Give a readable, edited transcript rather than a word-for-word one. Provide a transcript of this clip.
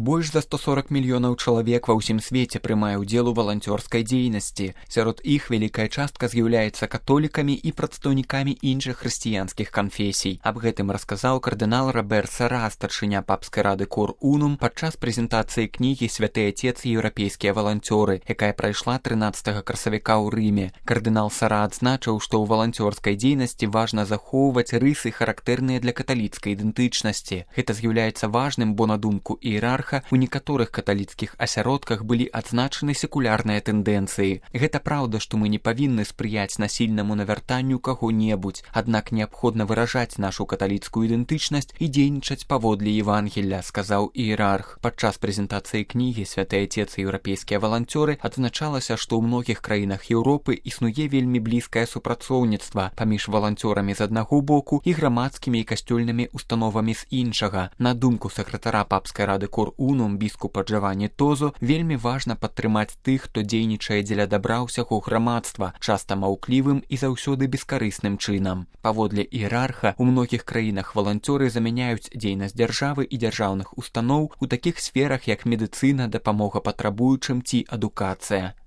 Больш за 140 мільёнаў чалавек ва ўсім свеце прымае ўдзел у валанцёрскай дзейнасці. Сярод іх вялікая частка з'яўляецца католікамі і прадстаўнікамі іншых хрысціянскіх канфесій. Аб гэтым расказаў кардынал Робер Сара, старшыня папскай рады Cor Unum, падчас прэзентацыі кнігі «Святы Отец і еўрапейскія валанцёры», якая прайшла 13 красавіка ў Рыме. Кардынал Сара адзначыў, што ў валанцёрскай дзейнасці важна захоўваць рысы, характэрныя для каталіцкай ідэнтычнасці. Гэта з'яўляецца важным, бо на думку іерарха у некаторых каталіцкіх асяродках былі адзначаны секулярныя тэндэнцыі. Гэта праўда, што мы не павінны спрыяць насільнаму навяртанню каго-небудзь, аднак неабходна выражаць нашу каталіцкую ідэнтычнасць і дзейнічаць паводле Евангелля, сказаў іерарх. Падчас прэзентацыі кнігі «Святы Отец і еўрапейскія валанцёры» адзначалася, што ў многіх краінах Еўропы існуе вельмі блізкае супрацоўніцтва паміж валанцёрамі з аднаго боку і грамадскімі і касцёльнымі установамі з іншага. На думку сакратара папскай рады Cor Unum біскупа Джавані Тозо, вельмі важна падтрымаць тых, хто дзейнічае дзеля дабра ўсяго грамадства, часта маўклівым і заўсёды бескарысным чынам. Паводле іерарха, у многіх краінах валанцёры замяняюць дзейнасць дзяржавы і дзяржаўных устаноў у такіх сферах, як медыцына, дапамога патрабуючым ці адукацыя.